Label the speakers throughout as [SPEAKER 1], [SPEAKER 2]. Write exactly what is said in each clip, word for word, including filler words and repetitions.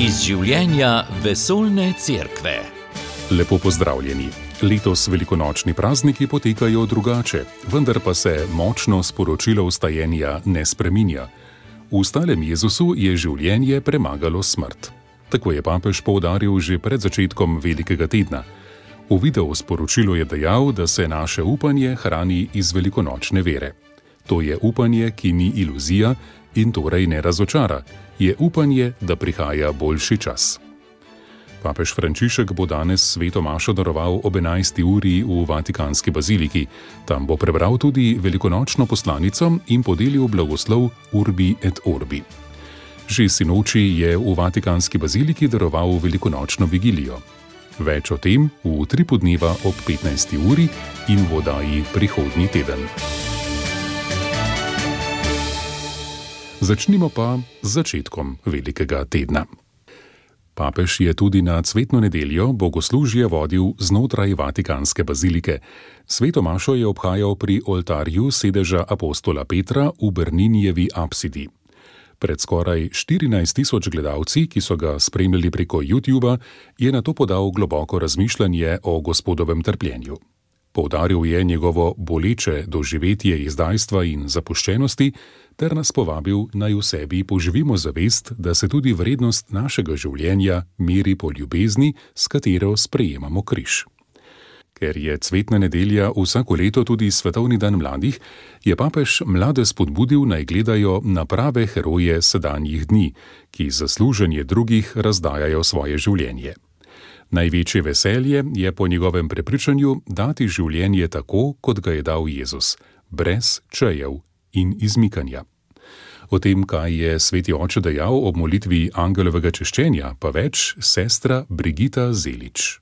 [SPEAKER 1] Iz življenja vesoljne cerkve.
[SPEAKER 2] Lepo pozdravljeni. Letos velikonočni prazniki potekajo drugače, vendar pa se močno sporočilo vstajenja ne spreminja. V stalem Jezusu je življenje premagalo smrt. Tako je papež poudaril že pred začetkom velikega tedna. V videu sporočilu je dejal, da se naše upanje hrani iz velikonočne vere. To je upanje, ki ni iluzija in torej ne razočara. Je upanje, da prihaja boljši čas. Papež Frančišek bo danes sveto mašo daroval ob enajsti uri v Vatikanski baziliki. Tam bo prebral tudi velikonočno poslanico in podelil blagoslov Urbi et Orbi. Že sinoči je v Vatikanski baziliki daroval velikonočno vigilijo. Več o tem v utripu dneva ob petnajsti uri in v oddaji prihodnji teden. Začnimo pa z začetkom velikega tedna. Papež je tudi na cvetno nedeljo bogoslužje vodil znotraj Vatikanske bazilike. Sveto mašo je obhajal pri oltarju sedeža apostola Petra v Berninijevi apsidi. Pred skoraj štirinajst tisoč gledalci, ki so ga spremljali preko YouTuba, je nato podal globoko razmišljanje o Gospodovem trpljenju. Poudaril je njegovo boleče doživetje izdajstva in zapuščenosti, ter nas povabil, naj v sebi poživimo zavest, da se tudi vrednost našega življenja meri po ljubezni, s katero sprejemamo križ. Ker je cvetna nedelja vsako leto tudi svetovni dan mladih, je papež mlade spodbudil, naj gledajo na prave heroje sedanjih dni, ki za služenje drugih razdajajo svoje življenje. Največje veselje je po njegovem prepričanju dati življenje tako, kot ga je dal Jezus, brez čejev in izmikanja. O tem, kaj je sveti oče dejal ob molitvi angelovega češčenja, pa več sestra Brigita Zelič.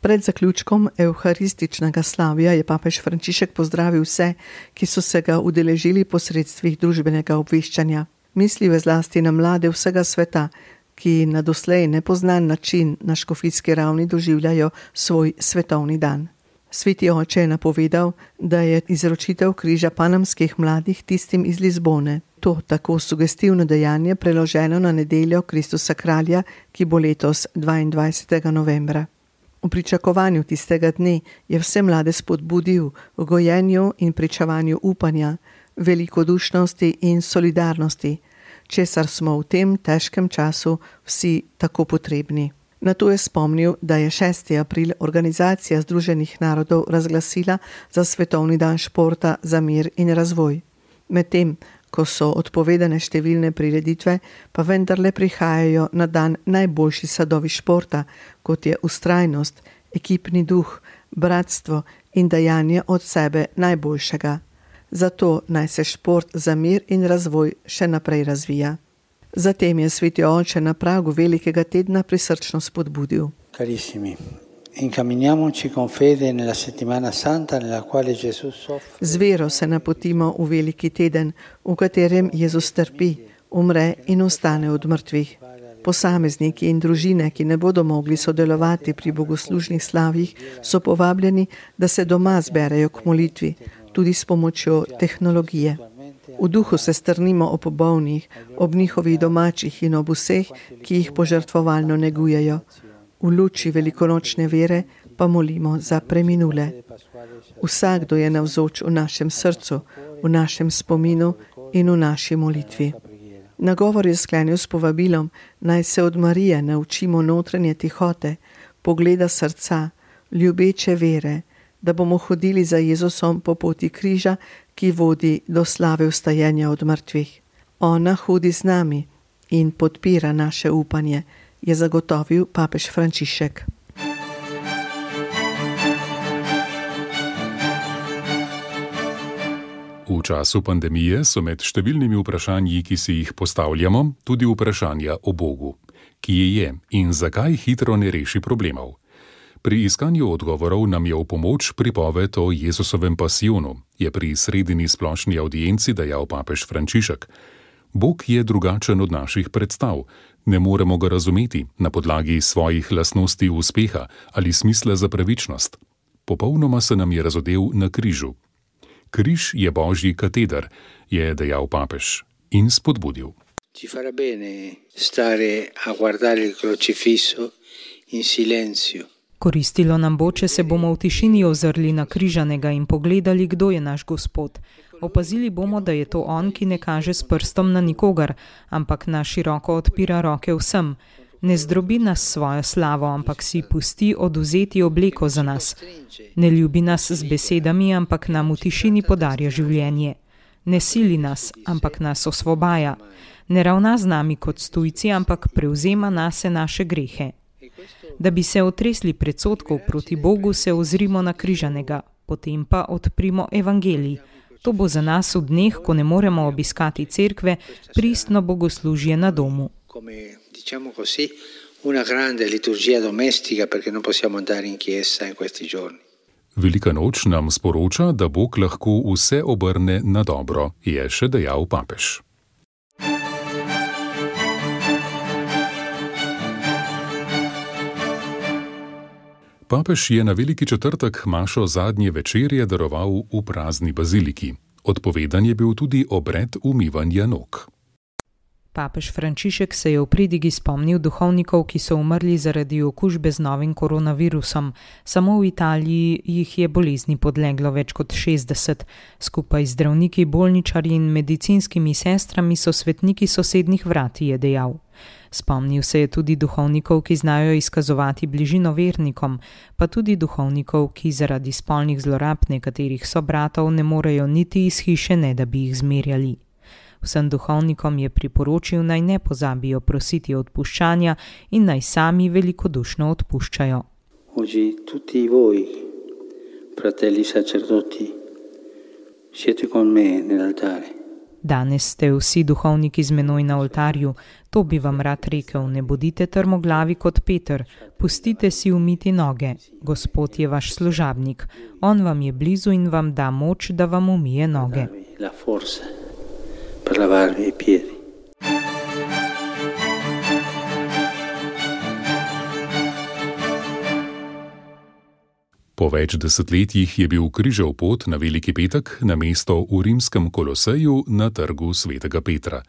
[SPEAKER 3] Pred zaključkom evharističnega slavja je papež Frančišek pozdravil vse, ki so se ga udeležili po sredstvih družbenega obveščanja. Mislil je zlasti na mlade vsega sveta, ki na doslej nepoznan način na škofijski ravni doživljajo svoj svetovni dan. Sveti oče je napovedal, da je izročitev križa panamskih mladih tistim iz Lizbone. To tako sugestivno dejanje preloženo na nedeljo Kristusa kralja, ki bo letos dvaindvajsetega novembra. V pričakovanju tistega dne je vse mlade spodbudil v gojenju in pričevanju upanja, velikodušnosti in solidarnosti, česar smo v tem težkem času vsi tako potrebni. Nato je spomnil, da je šesti april Organizacija Združenih narodov razglasila za svetovni dan športa za mir in razvoj. Medtem, ko so odpovedane številne prireditve, pa vendarle prihajajo na dan najboljši sadovi športa, kot je vztrajnost, ekipni duh, bratstvo in dajanje od sebe najboljšega. Zato naj se šport za mir in razvoj še naprej razvija. Zatem je sveti oče na pragu velikega tedna prisrčno spodbudil.
[SPEAKER 4] Carissimi, incamminiamoci con fede nella settimana santa nella quale Gesù soffre.
[SPEAKER 3] Z vero se napotimo v veliki teden, v katerem Jezus trpi, umre in ostane od mrtvih. Posamezniki in družine, ki ne bodo mogli sodelovati pri bogoslužnih slavjih, so povabljeni, da se doma zberejo k molitvi, tudi s pomočjo tehnologije. V duhu se strnimo ob bolnih, ob njihovih domačih in ob vseh, ki jih požrtvovalno negujejo. V luči velikonočne vere pa molimo za preminule. Vsakdo je navzoč v našem srcu, v našem spominu in v naši molitvi. Nagovor je sklenil s povabilom, naj se od Marije naučimo notranje tihote, pogleda srca, ljubeče vere, da bomo hodili za Jezusom po poti križa, ki vodi do slave vstajenja od mrtvih. Ona hodi z nami in podpira naše upanje, je zagotovil papež Frančišek.
[SPEAKER 2] V času pandemije so med številnimi vprašanji, ki si jih postavljamo, tudi vprašanja o Bogu. Kje je in zakaj hitro ne reši problemov? Pri iskanju odgovorov nam je v pomoč pripoved o Jezusovem pasijonu, je pri sredini splošni avdienci dejal papež Frančišek. Bog je drugačen od naših predstav. Ne moremo ga razumeti na podlagi svojih lastnosti uspeha ali smisla za pravičnost. Popolnoma se nam je razodel na križu. Križ je Božji kateder, je dejal papež in spodbudil.
[SPEAKER 4] Ci farà bene stare a guardare il crocifisso in silenzio.
[SPEAKER 5] Koristilo nam bo, če se bomo v tišini ozrli na križanega in pogledali, kdo je naš Gospod. Opazili bomo, da je to on, ki ne kaže s prstom na nikogar, ampak na široko odpira roke vsem. Ne zdrobi nas svojo slavo, ampak si pusti odvzeti obleko za nas. Ne ljubi nas z besedami, ampak nam v tišini podarja življenje. Ne sili nas, ampak nas osvobaja. Ne ravna z nami kot tujci, ampak prevzema nase naše grehe. Da bi se otresli predsodkov proti Bogu, se ozrimo na križanega, potem pa odprimo evangelij. To bo za nas v dneh, ko ne moremo obiskati cerkve, pristno bogoslužje na domu.
[SPEAKER 4] Diciamo così, una grande liturgia domestica perché non possiamo andare in chiesa in questi giorni.
[SPEAKER 2] Velika noč nam sporoča, da Bog lahko vse obrne na dobro, je še dejal papež. Papež je na Veliki četrtek mašo zadnje večerje daroval v prazni baziliki. Odpovedan je bil tudi obred umivanja nog.
[SPEAKER 5] Papež Frančišek se je v pridigi spomnil duhovnikov, ki so umrli zaradi okužbe z novim koronavirusom. Samo v Italiji jih je bolezni podleglo več kot šestdeset. Skupaj z zdravniki, bolničarji in medicinskimi sestrami so svetniki sosednjih vrat, je dejal. Spomnil se je tudi duhovnikov, ki znajo izkazovati bližino vernikom, pa tudi duhovnikov, ki zaradi spolnih zlorab nekaterih sobratov ne morejo niti iz hiše, ne da bi jih zmerjali. Vsem duhovnikom je priporočil, naj ne pozabijo prositi odpuščanja in naj sami velikodušno odpuščajo.
[SPEAKER 4] Oggi tutti voi, fratelli sacerdoti, siete con me nell'altare.
[SPEAKER 5] Danes ste vsi duhovniki z menoj na oltarju. To bi vam rad rekel, ne bodite trmoglavi kot Peter, pustite si umiti noge. Gospod je vaš služabnik. On vam je blizu in vam da moč, da vam umije noge.
[SPEAKER 4] La forza per lavarvi i piedi.
[SPEAKER 2] Po več desetletjih je bil križev pot na Veliki petek na mesto v rimskem Koloseju na trgu svetega Petra.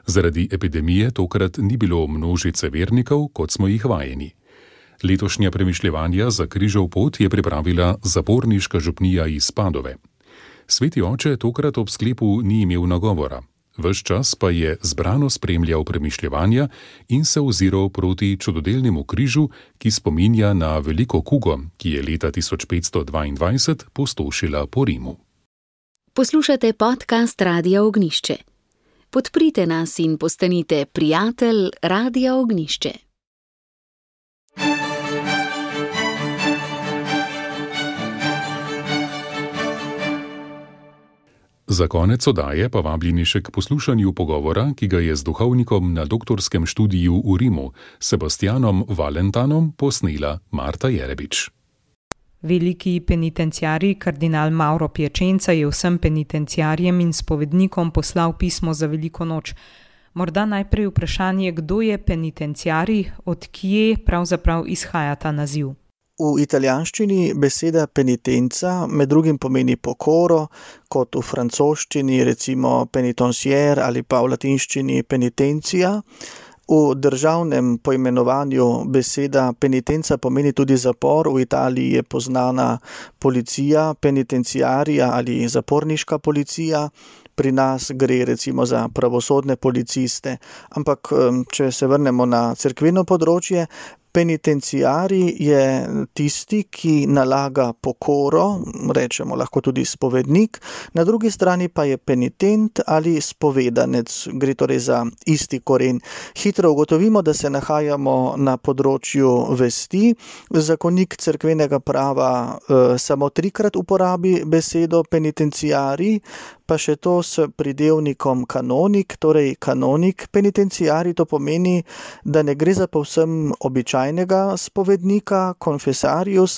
[SPEAKER 2] Zaradi epidemije tokrat ni bilo množice vernikov, kot smo jih vajeni. Letošnja premišljevanja za križev pot je pripravila zaporniška župnija iz Padove. Sveti oče tokrat ob sklepu ni imel nagovora. Ves čas pa je zbrano spremljal premišljevanja in se oziral proti čudodelnemu križu, ki spominja na veliko kugo, ki je leta tisoč petsto dvaindvajset pustošila po Rimu.
[SPEAKER 6] Poslušate podcast Radia Ognjišče. Podprite nas in postanite prijatelj Radia Ognjišče.
[SPEAKER 2] Za konec oddaje pa vabljeni še k poslušanju pogovora, ki ga je z duhovnikom na doktorskem študiju v Rimu, Sebastianom Valentanom, posnela Marta Jerebič.
[SPEAKER 5] Veliki penitenciarij kardinal Mauro Piacenza je vsem penitenciarjem in spovednikom poslal pismo za Veliko noč. Morda najprej vprašanje, kdo je penitenciarij, od kje pravzaprav izhaja ta naziv?
[SPEAKER 7] V italijanščini beseda penitenca med drugim pomeni pokoro, kot v francoščini recimo penitencier ali pa v latinščini penitencija. V državnem poimenovanju beseda penitenca pomeni tudi zapor. V Italiji je poznana policija, penitenciarija ali zaporniška policija. Pri nas gre recimo za pravosodne policiste. Ampak če se vrnemo na cerkveno področje, penitenciarij je tisti, ki nalaga pokoro, rečemo lahko tudi spovednik, na drugi strani pa je penitent ali spovedanec, gre torej za isti koren. Hitro ugotovimo, da se nahajamo na področju vesti. Zakonik cerkvenega prava eh, samo trikrat uporabi besedo penitenciarij, pa še to s pridevnikom kanonik, torej kanonik penitenciarij, to pomeni, da ne gre za povsem običajnega spovednika, konfesarius,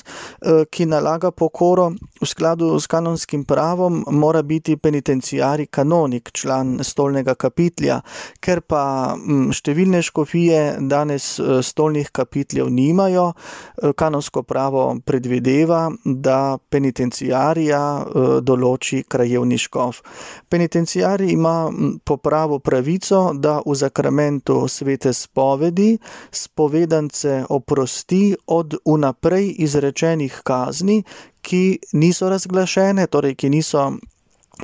[SPEAKER 7] ki nalaga pokoro. V skladu s kanonskim pravom mora biti penitenciarij kanonik, član stolnega kapitlja. Ker pa številne škofije danes stolnih kapitljev nimajo, kanonsko pravo predvideva, da penitenciarija določi krajevni škof. škof. Penitenciari ima po pravu pravico, da v zakramentu svete spovedi spovedance oprosti od vnaprej izrečenih kazni, ki niso razglašene, torej ki niso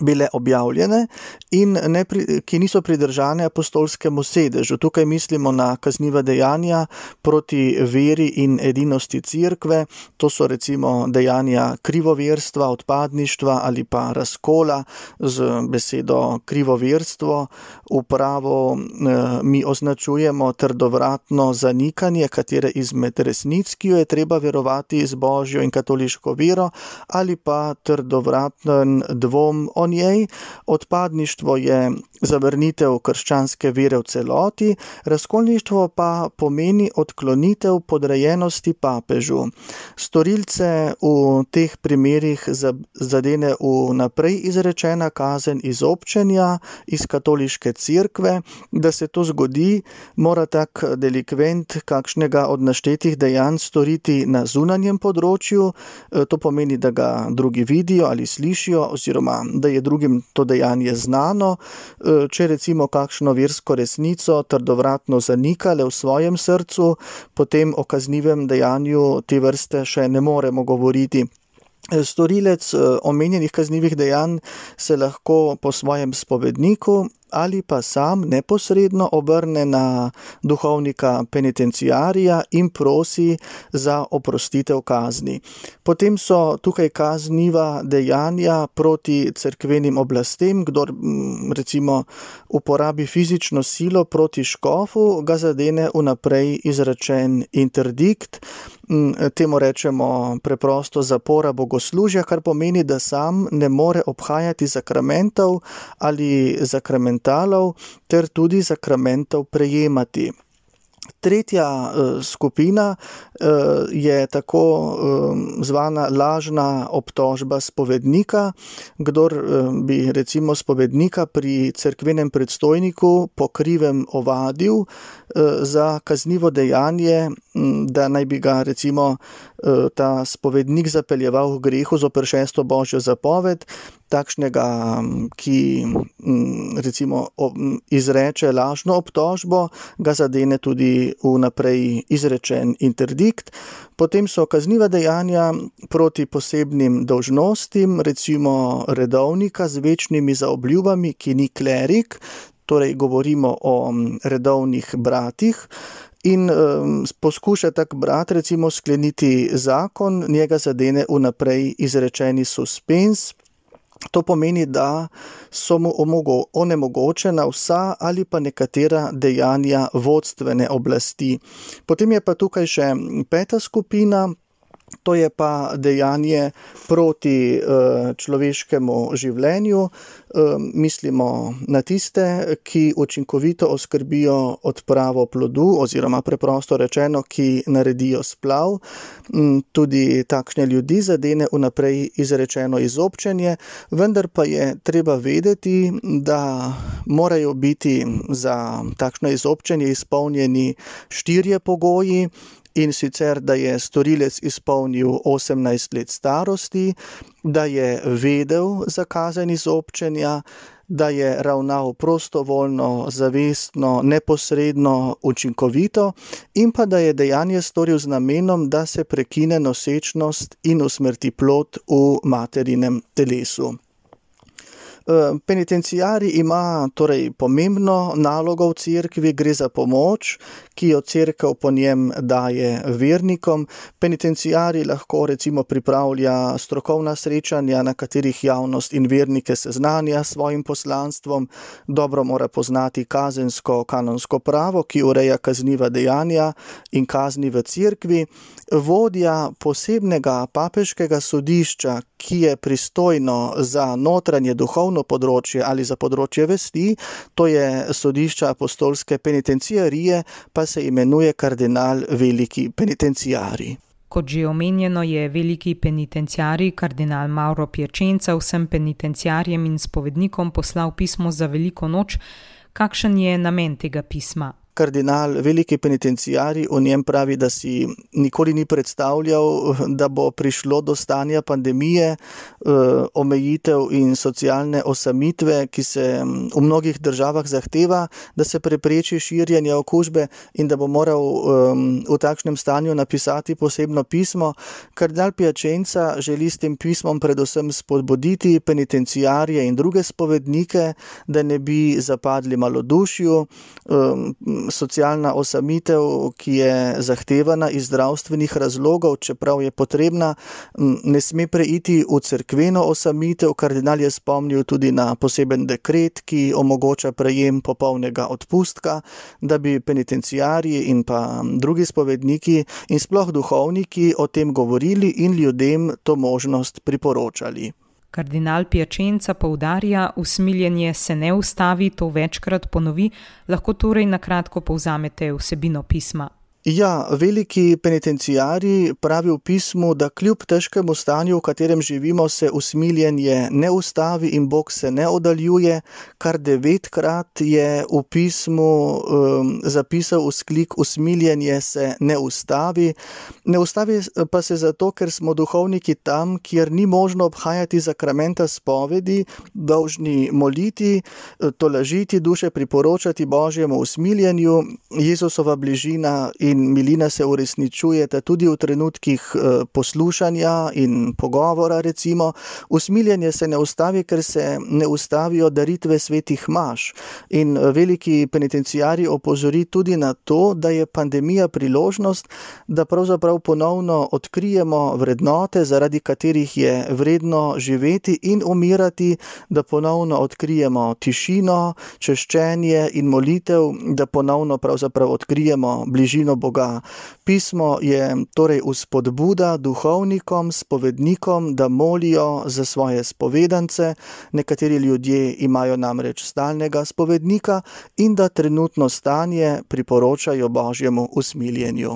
[SPEAKER 7] bile objavljene in ne pri, ki niso pridržane apostolskemu sedežu. Tukaj mislimo na kazniva dejanja proti veri in edinosti cerkve, to so recimo dejanja krivoverstva, odpadništva ali pa razkola. Z besedo krivoverstvo v pravu eh, mi označujemo trdovratno zanikanje katere izmed resnic, ki jo je treba verovati z božjo in katoliško vero, ali pa trdovraten dvom o njej. Odpadništvo je zavrnitev krščanske vere v celoti, razkolništvo pa pomeni odklonitev podrejenosti papežu. Storilce v teh primerih zadene vnaprej izrečena kazen izobčenja iz katoliške cerkve. Da se to zgodi, mora tak delikvent kakšnega od naštetih dejanj storiti na zunanjem področju, to pomeni, da ga drugi vidijo ali slišijo, oziroma da je drugim to dejanje znano. Če recimo kakšno versko resnico trdovratno zanikale v svojem srcu, potem o kaznivem dejanju te vrste še ne moremo govoriti. Storilec omenjenih kaznivih dejanj se lahko po svojem spovedniku ali pa sam neposredno obrne na duhovnika penitenciarija in prosi za oprostitev kazni. Potem so tukaj kazniva dejanja proti cerkvenim oblastem. Kdor recimo uporabi fizično silo proti škofu, ga zadene vnaprej izrečen interdikt. Temu rečemo preprosto zapora bogoslužja, kar pomeni, da sam ne more obhajati zakramentov ali zakramentalov ter tudi zakramentov prejemati. Tretja uh, skupina uh, je tako uh, zvana lažna obtožba spovednika. Kdor uh, bi recimo spovednika pri cerkvenem predstojniku po krivem ovadil uh, za kaznivo dejanje, um, da naj bi ga recimo uh, ta spovednik zapeljeval v grehu zoper šesto božjo zapoved, takšnega, ki recimo izreče lažno obtožbo, ga zadene tudi vnaprej izrečen interdikt. Potem so kazniva dejanja proti posebnim dolžnostim, recimo redovnika z večnimi zaobljubami, ki ni klerik, torej govorimo o redovnih bratih. In um, poskuša tak brat recimo skleniti zakon, njega zadene vnaprej izrečeni suspens. To pomeni, da so mu onemogočena vsa ali pa nekatera dejanja vodstvene oblasti. Potem je pa tukaj še peta skupina, to je pa dejanje proti uh, človeškemu življenju. Uh, mislimo na tiste, ki učinkovito oskrbijo odpravo plodu, oziroma preprosto rečeno, ki naredijo splav. Um, tudi takšne ljudi zadene vnaprej izrečeno izobčenje, vendar pa je treba vedeti, da morajo biti za takšno izobčenje izpolnjeni štirje pogoji. In sicer, da je storilec izpolnil osemnajst let starosti, da je vedel za kazen izobčenja, da je ravnal prostovoljno, zavestno, neposredno, učinkovito in pa da je dejanje storil z namenom, da se prekine nosečnost in usmrti plod v materinem telesu. Penitenciari ima torej pomembno nalogo v cerkvi, gre za pomoč, ki jo cerkev po njem daje vernikom. Penitenciari lahko recimo pripravlja strokovna srečanja, na katerih javnost in vernike seznanja s svojim poslanstvom. Dobro mora poznati kazensko kanonsko pravo, ki ureja kazniva dejanja in kazni v cerkvi. Vodja posebnega papeškega sodišča, ki je pristojno za notranje duhovno področje ali za področje vesti, to je sodišča apostolske penitenciarije, pa se imenuje kardinal veliki penitenciari.
[SPEAKER 5] Kot že omenjeno, je veliki penitenciari kardinal Mauro Piacenza vsem penitenciarjem in spovednikom poslal pismo za veliko noč. Kakšen je namen tega pisma?
[SPEAKER 7] Kardinal, veliki penitenciarij, o njem pravi, da si nikoli ni predstavljal, da bo prišlo do stanja pandemije, omejitev in socialne osamitve, ki se v mnogih državah zahteva, da se prepreči širjenje okužbe in da bo moral v takšnem stanju napisati posebno pismo. Kardinal Piacenza želi s tem pismom predvsem spodbuditi penitenciarje in druge spovednike, da ne bi zapadli malodušju. Socialna osamitev, ki je zahtevana iz zdravstvenih razlogov, čeprav je potrebna, ne sme preiti v cerkveno osamitev. Kardinal je spomnil tudi na poseben dekret, ki omogoča prejem popolnega odpustka, da bi penitenciarji in pa drugi spovedniki in sploh duhovniki o tem govorili in ljudem to možnost priporočali.
[SPEAKER 5] Kardinal Piacenza poudarja, usmiljenje se ne ustavi, to večkrat ponovi, lahko torej na kratko povzamete vsebino pisma.
[SPEAKER 7] Ja, veliki penitenciarij pravi v pismu, da kljub težkemu stanju, v katerem živimo, se usmiljenje ne ustavi in Bog se ne oddaljuje. Kar devetkrat je v pismu um, zapisal vzklik: usmiljenje se ne ustavi. Ne ustavi pa se zato, ker smo duhovniki tam, kjer ni možno obhajati zakramenta spovedi, dolžni moliti, tolažiti duše, priporočati Božjemu usmiljenju. Jezusova bližina in In milina se uresničujete tudi v trenutkih poslušanja in pogovora, recimo. Usmiljenje se ne ustavi, ker se ne ustavijo daritve svetih maš. In veliki penitenciarij opozori tudi na to, da je pandemija priložnost, da pravzaprav ponovno odkrijemo vrednote, zaradi katerih je vredno živeti in umirati, da ponovno odkrijemo tišino, češčenje in molitev, da ponovno pravzaprav odkrijemo bližino Boga. Pismo je torej vzpodbuda duhovnikom, spovednikom, da molijo za svoje spovedance. Nekateri ljudje imajo namreč stalnega spovednika in da trenutno stanje priporočajo Božjemu usmiljenju.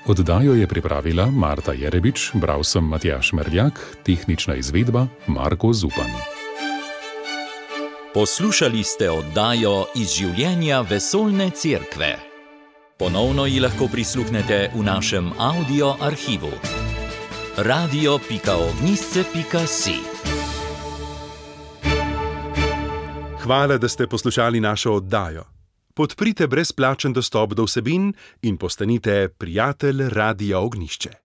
[SPEAKER 2] Oddajo je pripravila Marta Jerebič, bral sem Matjaž Merljak, tehnična izvedba Marko Zupan.
[SPEAKER 1] Poslušali ste oddajo iz življenja Vesoljne cerkve. Ponovno ji lahko prisluhnete v našem audio arhivu. radio pika ognjišče pika si.
[SPEAKER 8] Hvala, da ste poslušali našo oddajo. Podprite brezplačen dostop do vsebin in postanite prijatelj Radia Ognjišče.